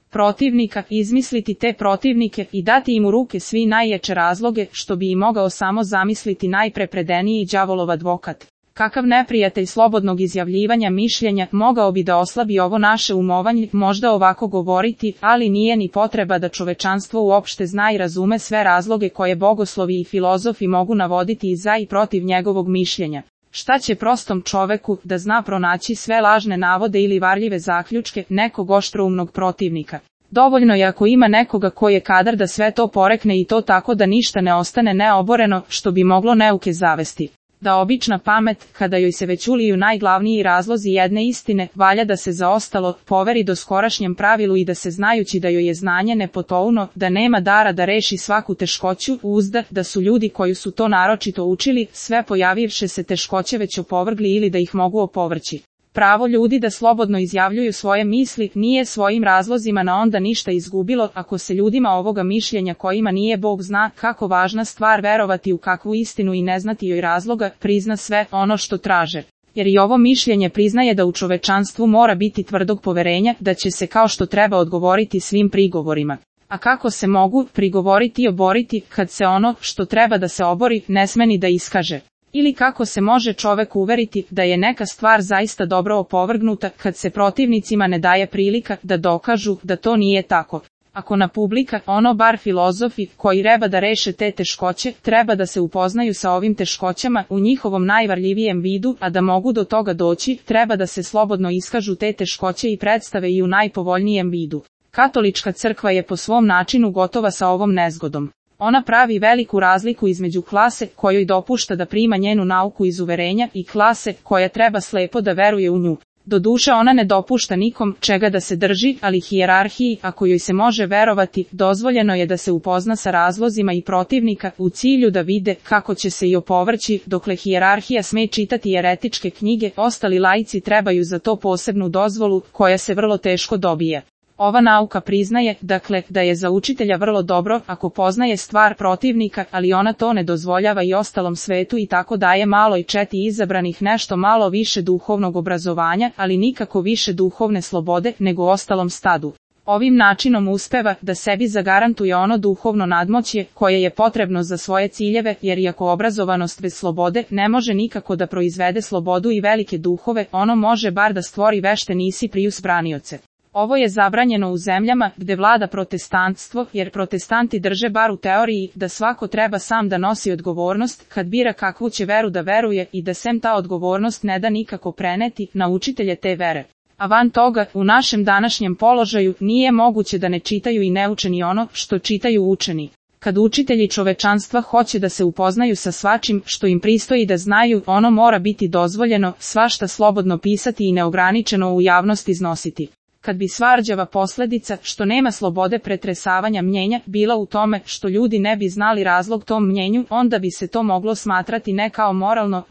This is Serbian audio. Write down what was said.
protivnika, izmisliti te protivnike i dati im u ruke svi najjače razloge, što bi i mogao samo zamisliti najprepredeniji đavolov advokat. Kakav neprijatelj slobodnog izjavljivanja mišljenja mogao bi da oslabi ovo naše umovanje, možda ovako govoriti, ali nije ni potreba da čovečanstvo uopšte zna i razume sve razloge koje bogoslovi i filozofi mogu navoditi i za i protiv njegovog mišljenja. Šta će prostom čoveku da zna pronaći sve lažne navode ili varljive zaključke nekog oštroumnog protivnika? Dovoljno je ako ima nekoga koji je kadar da sve to porekne i to tako da ništa ne ostane neoboreno, što bi moglo neuke zavesti. Da obična pamet, kada joj se već uliju najglavniji razlozi jedne istine, valja da se za ostalo poveri doskorašnjem pravilu i da se znajući da joj je znanje nepotouno, da nema dara da reši svaku teškoću, uzda da su ljudi koji su to naročito učili, sve pojavivše se teškoće već opovrgli ili da ih mogu opovrći. Pravo ljudi da slobodno izjavljuju svoje misli nije svojim razlozima na onda ništa izgubilo, ako se ljudima ovoga mišljenja kojima nije Bog zna kako važna stvar verovati u kakvu istinu i ne znati joj razloga, prizna sve ono što traže. Jer i ovo mišljenje priznaje da u čovečanstvu mora biti tvrdog poverenja, da će se kao što treba odgovoriti svim prigovorima. A kako se mogu prigovoriti i oboriti, kad se ono što treba da se obori ne sme ni da iskaže? Ili kako se može čovek uveriti da je neka stvar zaista dobro opovrgnuta, kad se protivnicima ne daje prilika da dokažu da to nije tako? Ako na publika, ono bar filozofi, koji treba da reše te teškoće, treba da se upoznaju sa ovim teškoćama u njihovom najvarljivijem vidu, a da mogu do toga doći, treba da se slobodno iskažu te teškoće i predstave i u najpovoljnijem vidu. Katolička crkva je po svom načinu gotova sa ovom nezgodom. Ona pravi veliku razliku između klase kojoj dopušta da prima njenu nauku iz uverenja i klase koja treba slepo da veruje u nju. Doduše ona ne dopušta nikom čega da se drži, ali hijerarhiji, ako joj se može verovati, dozvoljeno je da se upozna sa razlozima i protivnika u cilju da vide kako će se i opovrći, dokle hijerarhija sme čitati jeretičke knjige, ostali laici trebaju za to posebnu dozvolu, koja se vrlo teško dobije. Ova nauka priznaje, dakle, da je za učitelja vrlo dobro ako poznaje stvar protivnika, ali ona to ne dozvoljava i ostalom svetu i tako daje malo i četi izabranih nešto malo više duhovnog obrazovanja, ali nikako više duhovne slobode nego ostalom stadu. Ovim načinom uspeva da sebi zagarantuje ono duhovno nadmoćje koje je potrebno za svoje ciljeve, jer iako obrazovanost bez slobode ne može nikako da proizvede slobodu i velike duhove, ono može bar da stvori vešte nisi prius branioce. Ovo je zabranjeno u zemljama gde vlada protestantstvo, jer protestanti drže bar u teoriji da svako treba sam da nosi odgovornost kad bira kakvu će veru da veruje i da sem ta odgovornost ne da nikako preneti na učitelje te vere. A van toga, u našem današnjem položaju nije moguće da ne čitaju i ne uče ni ono što čitaju učeni. Kad učitelji čovečanstva hoće da se upoznaju sa svačim što im pristoji da znaju, ono mora biti dozvoljeno, svašta slobodno pisati i neograničeno u javnost iznositi. Kad bi svarđava posledica, što nema slobode pretresavanja mnjenja, bila u tome što ljudi ne bi znali razlog tom mnjenju, onda bi se to moglo smatrati ne kao moralno,